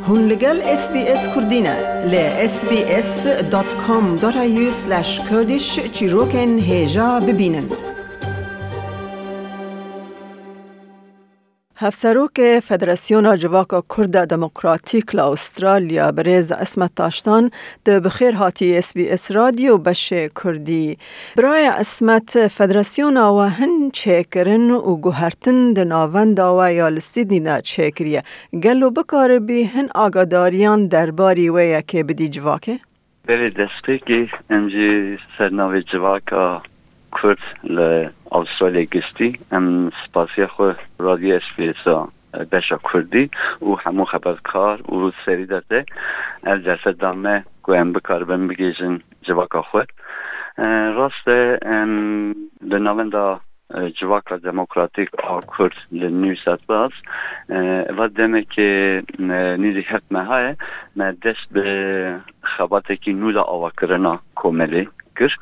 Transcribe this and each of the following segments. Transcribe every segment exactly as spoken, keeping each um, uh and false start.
Hûn li gel S B S Kurdî ne. Li S B S dot com dot A U slash Kurdish çîrokên hêja bibînin. Hevserokê Federasyona Civaka Kurd a Demokratîk li Astralya, birêz Ismet Taştan, tu bi xêr hatî S B S Radyo beşê Kurdî. Biraya Ismet, federasyona we hin çêkirin û guhertin di navenda we ya li Sydney de çêkiriye. Gelo bikaribî hin agadariyan derbarî wê yekê bidî civakê? Berê destpêkê em jî ser navê civaka Kurd li Astralya giştî, em spasiya xwe Radyo S B S a beşa Kurdî û hemû xebatkar û serî de te ev derfet da me ku em bikaribin bigihîjin civaka xwe. E, rast e, em li navenda, e, civaka demokratîk a Kurd li New South Wales, e, eva demekê, e, nîzî heft meha ye, me dest bi xebatekî nû de avakirina komelê kir.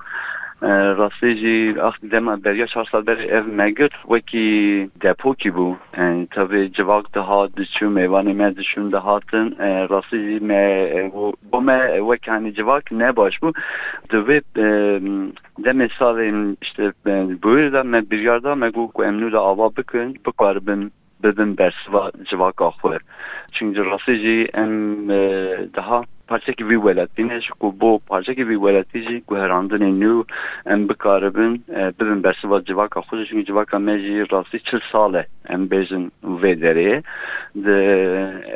E, rastî jî ax dema beriya çar sal berê ev me girt wekî depokî bû. E, tevê civak dihat, diçû, mêvanê me diçûn dihatin. E, rastî jî me, e, bo, bo me wek hanî civak ne baş bû. Di vê, e, demê salên işte, e, bûyîr de me biryar da, me got ku em nû de ava bikin, bikaribin bibin bersiva civaka xwe. Çunki rastî jî em, e, daha parçekî vî welatî ne, ji ku bo parçekî vî welatî jî guherandinê nû em bikaribin, e, bibin bersiva civaka xwe jî. Çunki civaka me jî rastî çil sal e, em bêjin vê derê ye. Di,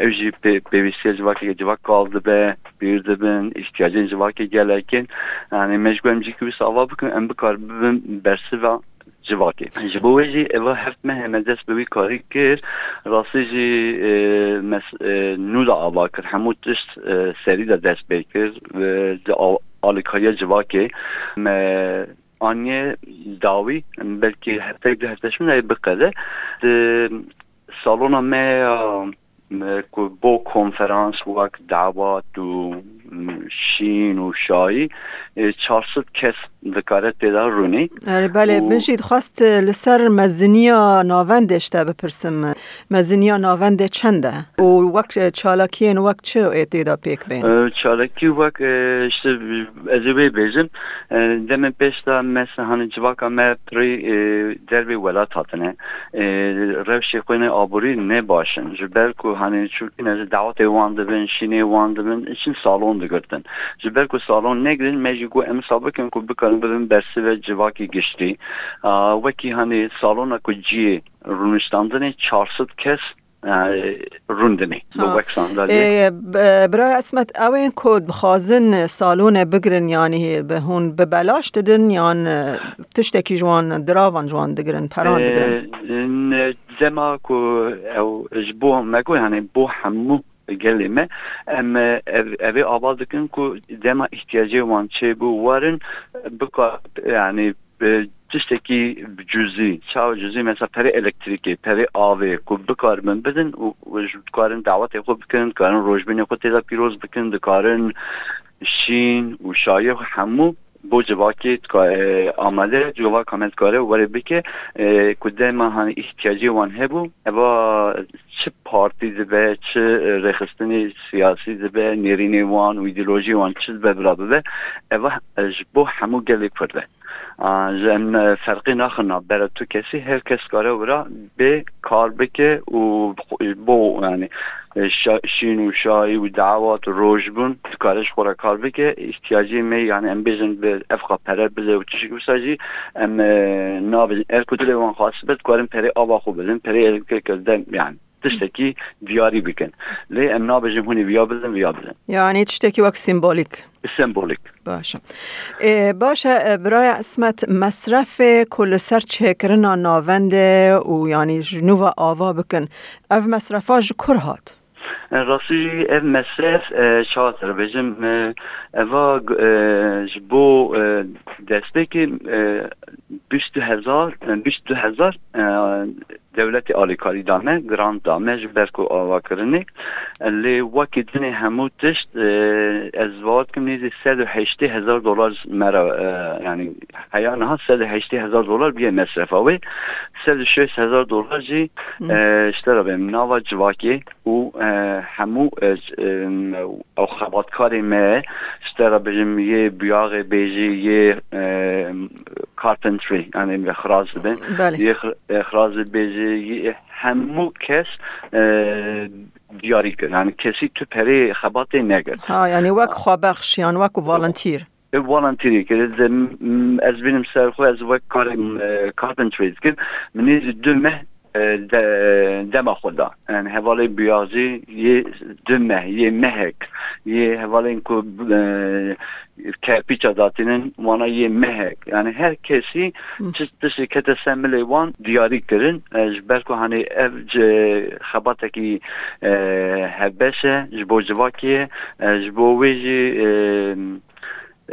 ew jî pê-, pêwîstiya civakê, civak kal dibe, pîr dibin, îhtiyacên civakê gelek in. Yani me ji ku em cîkî wisa ava bikin, em bikaribin bersiva civakê. Ji bo wê jî eva heft mehê me dest bi wî karî kir. Rastî jî, e, mes-, e, nû de ava kir. Hemû tişt, e, serî de dest pê kir. E, di a-, alîkariya civakê me aniye dawî, belkî heftek du hefte şûn ê biqede. Di salona me ya, e, ku bo konferans wek dawat û, m, şîn û şayî, e, çar sed kes dikare tê de rûnî. Erê, belê, û min jî dixwest, e, li ser meziniya navendê ji te bipirsim. Meziniya navendê çend e? Û wek, e, çalakiyên wek çi ê tê de pêk bên? E, çalakî wek, e, işte, ez ê wê bêjim, e, demên pêş de mes-, hani civaka me pirî, e, dervê welat hatine. E, rewşê xwe ne aborî ne baş in. Ji ber ku hani çûkî ne ji dawetê wan dibin, şînê wan dibin, çin salon digirtin. Ji ber ku salon negrin, me jî got em sa bikin ku bikarin bibin bersive civakî giştî. A, wekî hani salona ku ciyê rûniştandinê çar sed kes, e, rûndinê. Bi Ha. wek sandalyê. Ê, b-, biraya Esmet, ew ên ku dixwazin salonê bigirin, yanî bi hûn bi belaş didin, yan, e, tiştekî ji wan, diravan ji wan digirin, peran digirin? E, ne, dema ku ew ji bo me got, yani bo hemû gelê me, em, e, ev, evê ava dikin ku dema îhtiyacê wan çêbû werin, bika-, yani, bi tiştekî cuzî, çawa cuzî, mesela perê elektrîkê, perê avê ku bikaribin bidin û, û ji dikarin dawetê xwe bikin, dikarin rojbînê xwe tê de pîroz bikin, dikarin şîn û şayê hemû bo civakê dika-, e, amade, civaka me dikare were bike, e, ku dema hani îhtiyacê wan hebû, eva çi partî dibe, çi, e, rêxistinê siyasî dibe, nêrînê wan û îdeolojiyê wan çi dibe bila bibe, eva, e, ji bo hemû gelê Kurd e. A, ji em, e, ferqê naxin navbera tu kesî, her kes dikare wira bê kar bike û bo, yani, e, şa-, şîn û şayî û dawat û rojbûn dikare ji xwe re kar bike. Îhtiyacê me, yani, em bêjin bi evqa pere bide û tişik wisa jî em, e, nabêjin. Er ku dilê wan xwest be, dikarin perê ava xwe bidin, perê elektrîkê dem, yani, tiştekî diyarî bikin. Lê em nabêjin hûn ê viya bidin, viya bidin. Yani tiştekî wek sembolîk. Sembolîk. Baş e. Ê, baş e, e, biraya Esmet, mesrefê ku li ser çêkirina navendê û yanî ji nû ve ava bikin, ev mesrefa ji kur hat? E, rastî jî ev mesref, e, çawa te bêjim, e, eva, e, ji bo, e, destpêkê, e, bîst du hezar, e, bîst du hezar, e, dewletê alîkarî da me, grant da me ji ber ku avakirinê. Lê wekî dinê hemû tişt, e, ez bawer dikim nêzî sed û heştê hezar dolar ji me re, e, yanî heya niha sed û heştê hezar dolar bûye mesrefa wê. Sed û şêst hezar dolar jî, Hı. e, ji te re bêm nava civakê û, e, hemû, e, c-, e, ew xebatkarê me, ji te re bijim yê buyaxê bêjî, yê, e, carpentry, yanî xiraz dibin. Belê. Yê xir-, e, xiraz dibêjî, yê hemû kes, e, diyarî kir. Yanî kesî tu perê xebatê negirt. Ha, yanî wek xwebexş yan wek volunteer. E, volunteerî kir. De, m-, ez bînim ser xwe, ez wek karê, e, carpentry dikim. Min nêzî du meh, e, de, dema xwe da. Yani hevalê biyazî yê du meh, yê mehek, yê hevalên ku, e, kerpîça datînin, wana yê mehek. Yani her kesî Hı. çi tiştê kete ser milê wan diyarî kirin. E, ji ber ku hani ev ci xebatekî, e, hevbeş e, ji bo civakê ye, e, ji bo wê jî, e,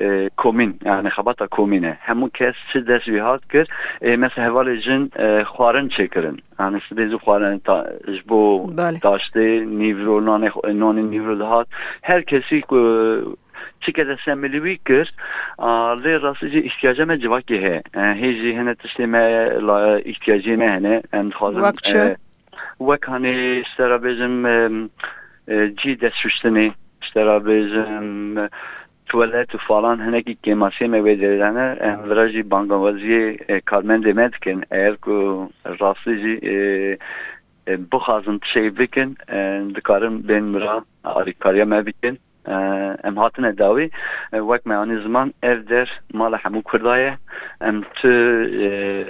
e, komîn, yani xebata komîn e. Hemû kes çi dest wî hat kir, e, mesela hevalê jin, e, xwarin çêkirin. Yani sibê zû xwarin ta-, ji bo Belê. taştê nîvro, nanê xwe, nanê nîvro dihat. Her kesî ku çi kete ser milê wî kir, a, lê rastî jî îhtiyaca me civakê heye. E, hê jî hene tiştê me la îhtiyacê me hene. Em dixwazin, Wek çi? e, wek hanê ji te re bêjim, e, e, cî destşuştinê, ji te re bêjim, e, tuwalet û falan hinekî kêmasiyê me wê derê de ne. Em vira jî bangawaziyê, e, karmendê me dikin. Eger ku rastî jî, e, e, bixwazin tiştê bikin, e, dikarin bên mira alîkariya me bikin. E, em hatine dawî, e, wek me anî ziman, ev der mala hemû Kurda ye. Em tu, e,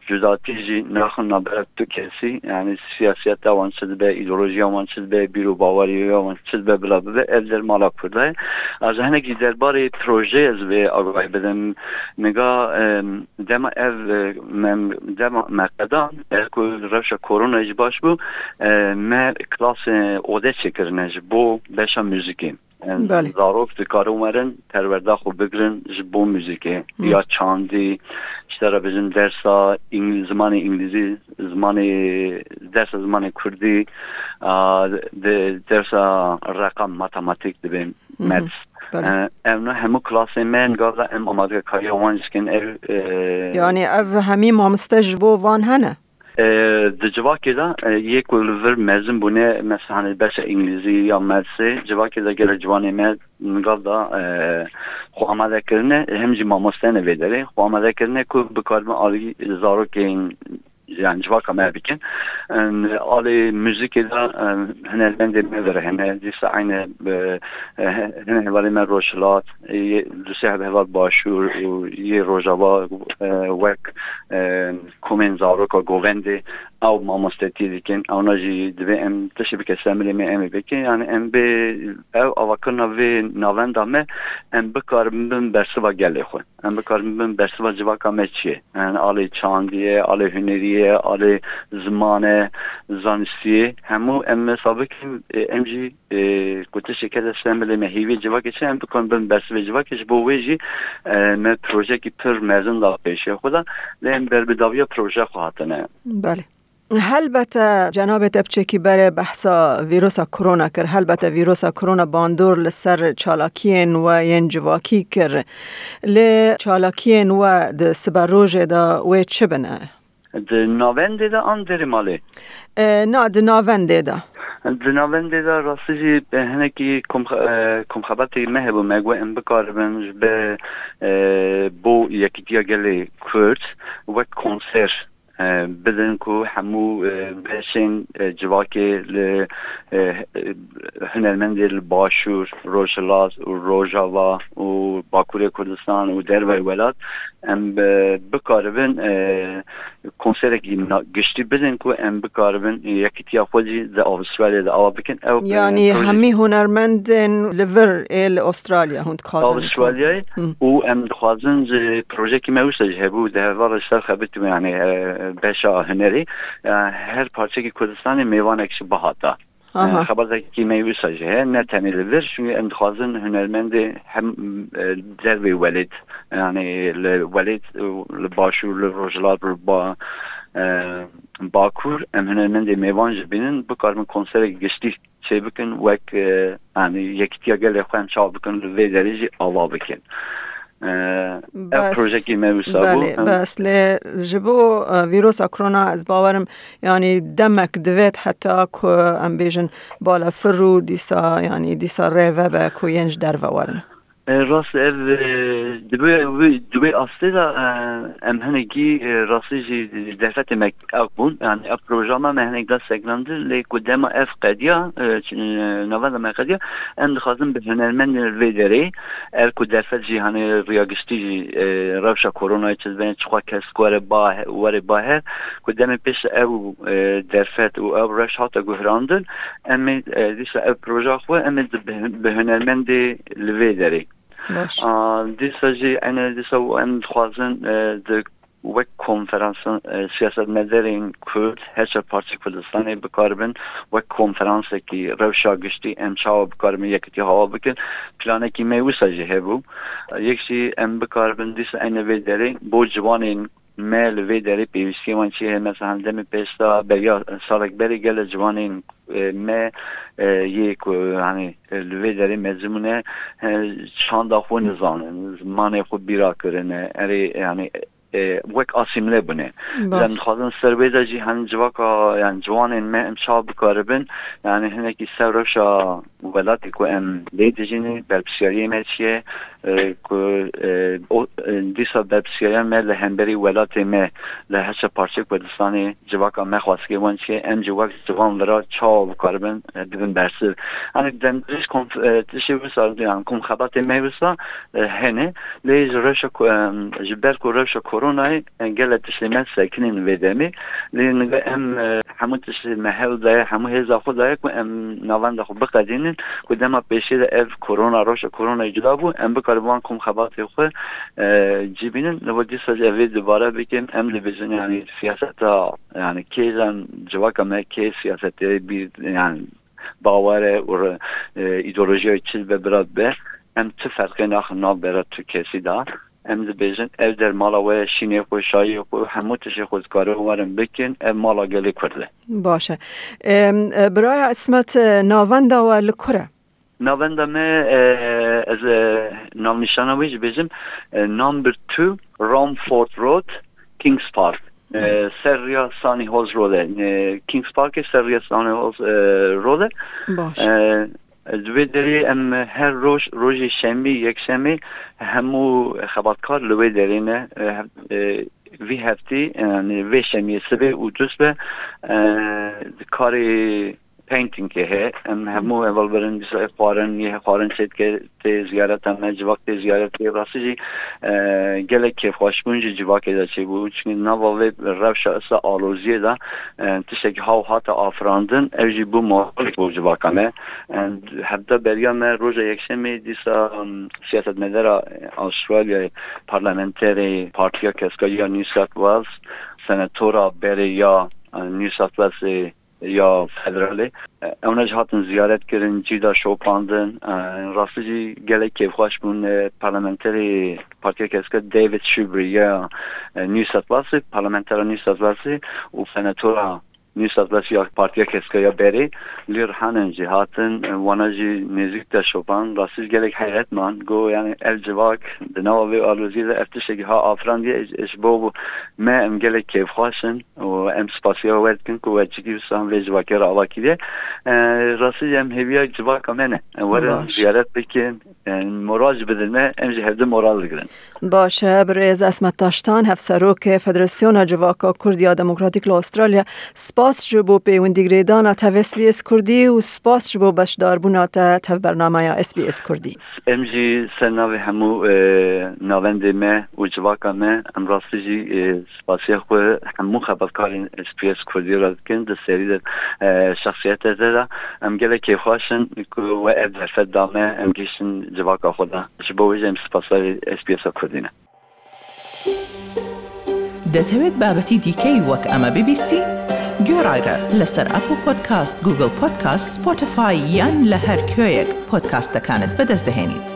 cudatî jî naxin navbera tu kesî. Yani siyasiyeta wan çi dibe, îdeolojiya wan çi dibe, bîr û baweriya wan çi dibe, bila bibe, ev der mala Kurda ye. A ji hinek jî derbarê projeyê ez vê agahî bidim. Niga, e, dema ev, e, me, dema me qedan, ev ku rewşa koronayê jî baş bû, e, me klasê ode çêkirine ji bo beşa muzîkê. Belê. Zarok dikarin werin perwerda xwe bigirin ji bo muzîkê Hı. ya çandî, ji te re bijim dersa Îngil-, zimanê Îngilîzî, zimanê, dersa zimanê Kurdî, a, de, dersa reqam, matematîk dibên, Hı hı. maths. Belê. E, ev ne hemû klasên me, nigav de em amadekariya wan jî dikin. Ev, e, Yani ev hemî mamoste ji bo van hene? E, di civakê de, e, yê ku li vir mezin bûne, mesela, hani, beşa Îngilîzî ya Mathsê, civakê de gelek ciwanê me nigav da, e, xwe amade kirine, hem jî mamoste ne vê derê, xwe amade kirine ku bikaribin alî zarokên, yani civaka me bikin. Em, alê muzîkê de, em, hunermendê me vir hene, dîsa eyne, e, e, hene hevalê me Rojhilat, e, yê, du sê hev heval Başûr û yê Rojava, e, wek, e, komên zaroka govendê, ew mamostetiyê dikin, ewna jî divê em tiştê bike ser milê me, em ê bikin. Yani em bê, ev avakirina vê navenda me, em bikarin bin bersiva gelê xwe. Em bikarin bin bersiva civaka me çi ye? Yani alê çandî ye, alê hunerî ye, alê ziman e, zanistî ye. Hemû em wesa bikin, e, em jî, e, ku tiştê kete ser milê me, hêviyê civakê çi, em bikarin bin bersivê civakê. Ji bo wê jî, e, me projeyekî pir mezin da pêşiya xwe de, lê em berbidaviya projeya xwe hatine. Belê. Helbete cenabê te piçekî berê behsa vîrusa korona kir. Helbete vîrusa korona bandor li ser çalakiyên we yên civakî kir. Lê çalakiyên we di siberojê de wê çi bine? Di navendê de an derê malê? E, na, di navendê de. Di navendê de rastî jî, e, hinekî komxe-, e, komxebatê me hebû, me got em bikaribin ji be, e, bo yekîtiya gelê Kurd wek konser, e, bidin ku hemû, e, beşên, e, civakê li, e, e, hunermendê li Başûr, Rojhilat û Rojava û Bakurê Kurdistan û derveyî welat em, e, bikaribin, e, konserekî na-, giştî bidin ku em bikaribin yekîtiya xwe jî di Avustralyayê de ava bikin. Ew, e, Yani proje hemî hunermendên li vir ê li Avustralya hûn dixwazin Avustralyayê Hı. û em dixwazin ji projekî me wisa jî hebû, di hevala ji ser xebitî me, yani, e, beşa hunerî, e, her parçekî Kurdistanê mêvanek jî bihata. Aha. Xebatekî me wisa jî heye, ne tenê li vir, çünkü em dixwazin hunermendê hem, e, dervê welêt, yani li welêt, e, li başûr, li rojhilat, li ba-, e, bakur, em hunermendê mêvan jî bînin, bikaribin konserek giştî çêbikin, wek, e, yani yekitiya gelê xwe em çawa bikin li vê derê jî ava bikin. E, ev Bes, projekî me wisa bû. Belê, Em bes lê ji bo, e, vîrosa korona ez bawerim, yani demek divêt heta ku em bêjin balafir û dîsa, yani dîsa rê vebe ku yên ji derve werin. E, rast ev, e, di wê, wê, di wê astê de, e, em hinekî, e, rastî jî derfetê me ew bûn. Yani ev proja me, me hinek da sekinandin, lê ku dema ev qediya, e, ç-, e, navenda me qediya, em dixwazin bi hunermendên vê derê, ev ku derfet jî, hani, riya giştî jî, e, rewşa koronayê çi dibên, çiqas kes were ba-, were baher, ku demê pêş ew, e, derfet û ew rewş hate guherandin, em ê, e, dîsa ev proja xwe em ê di bi, bi hunermendê li vê derê. Baş. A, dîsa jî ene dîsa em dixwazin, e, di wek konferansan, e, siyasetmedarên Kurd her çar parçeyê Kurdistanê bikaribin wek konferansekî rewşa giştî em çawa bikaribin yekitî hawa bikin. Planekî me wisa jî hebû. Yek jî em bikaribin dîsa ene vê derê bo ciwanên me li vê derê pêwîstiyê wan çi heye? Mesela, demê pêş de beriya salek berê gelek ciwanên, e, me, e, yê ku, hani, e, li vê derê mezin bûne, e, çanda xwe nizanin, zimanê xwe bîra kirine, erê, yani, e, wek asîmle bûne. Baş. Em dixwazin ser wê de jî, hani, civaka, yani, ciwanên me em çawa bikaribin, yani, hinekî ser rewşa welatê ku em lê dijîn, berpirsiyariyê me çi ye, e, ku, e, o, e, dîsa berpirsiyariya me li hemberî welatê me li her çar parçeyê Kurdistanê civaka me xwestikê wan çi ye, em jî wek ciwan vira çawa bikaribin, e, bibin bersiv. Hani demdirêj konf-, e, tiştê wisa, yani kom xebatê me wisa, e, hene, lê ji rewşa ko-, em, ji ber ku rewşa koronayê, e, gelek tiştê me sekinîn vê demê. Lê niga em, e, hemû tiştê me hewl daye, hemû hêza xwe daye ku em navenda xwe biqedînin, ku dema pêşê de ev korona, rewşa koronayê cuda bû, em bikaribin wan kom xebatê xwe, e, cî bînin. Li wir dîsa jî ev ê dubare bikin, em dibêjin, yani, siyaseta, yani, kê jî civaka me, kê siyasetê bîr, yani, bawer e û re-, e, îdeolojiya çi dibe bira dibe, em ti ferqê naxin nav bera tu kesî de. Em dibêjin, ev der mala we ye, şînê xwe, şayê xwe, hemû tiştê xwe dikarin werin bikin, ev mala gelê Kurd e. Baş e. Em, e, biraya Ismet, e, navenda we li kur e? Navenda me, e, ez, e, navnîşana wê jî bêjim, e, number two Romford Road, Kings Park. E, ser riya Sunny Hills Road e. E, Kings Parkê ser riya Sunny Hills, e, Road e. Baş. E, Di vê derê em her roj, rojê şemî, yekşemê hemû xebatkar li wê derê ne. E, hev-, e, vî heftî, yani vê şemiyê sibê û dusbe, e, karê paintingê heye. Em hemû hevalbirin, dîsa xwarin, yê xwarin çêdike, tê ziyareta me, civak tê ziyaretê. Rastî jî, e, gelek kêfxweşbûn jî civakê de çêbû. Çünkü nava vê rewşa esa aloziyê de, e, tiştekî haw hate afirandin, ev jî bû moralek bo civaka me. E, hevda beriya me roja yekşemê dîsa, em, siyasetmedara Astralya, parlamenterê Partiya Keska ya New South Wales, senatora berê ya, e, New South Wales ya federalê. E, ewna jî hatin ziyaret kirin, cî da şopandin. E, rastî jî gelek kêfxweş bûn. E, parlamenterê Partiya Keska David Shoebury ya, e, New South Wales, parlamentera New South Wales û senatora New South Wales ya Partiya Keska ya berê li Rihanan jî hatin, e, wana jî nêzîk de şopan. Rastî jî gelek heyret man. Got, yani, ev civak di nava vê aloziyê de ev tiştekî ha afirandiye, ji bo me em gelek kêfxweş in. û em spasiya we dikin ku we cidî wisa vê civakê re ava kiriye. E, rastî em hêviya civaka me ne. Em werin ziyaret bikin, e, moral jî bidin me, em jî hevdu moral digirin. Baş e, birêz Esmet Taştan, Hevserokê Federasyona Civaka Kurd ya Demokratîk li Astralya, spas ji bo pêwendîgirêdana tev S B S Kurdî û spas ji bo beşdarbûna te tev bernameya S B S Kurdî. Em jî ser navê hemû, e, navendê me û civaka me, em rastî jî, e, spasiya xwe hemû xebatkarên S B S Kurdî re dikin, di serî de, e, şexsiyetê de de. Em gelek kêfxweş in ku we ev derfet da me, em gihîştin civaka xwe de. Ji bo wê jî em spasdarê S B S a Kurdî ne. دەتەوێت بابەتی دیکەی وەک ئەمە ببیستی؟ گۆڕایرە لەسەر ئەپڵ پۆدکاست، گوگڵ پۆدکاست، سپۆتیفای یان لە هەر کوێیەک پۆدکاستەکانت بەدەست دەهێنیت.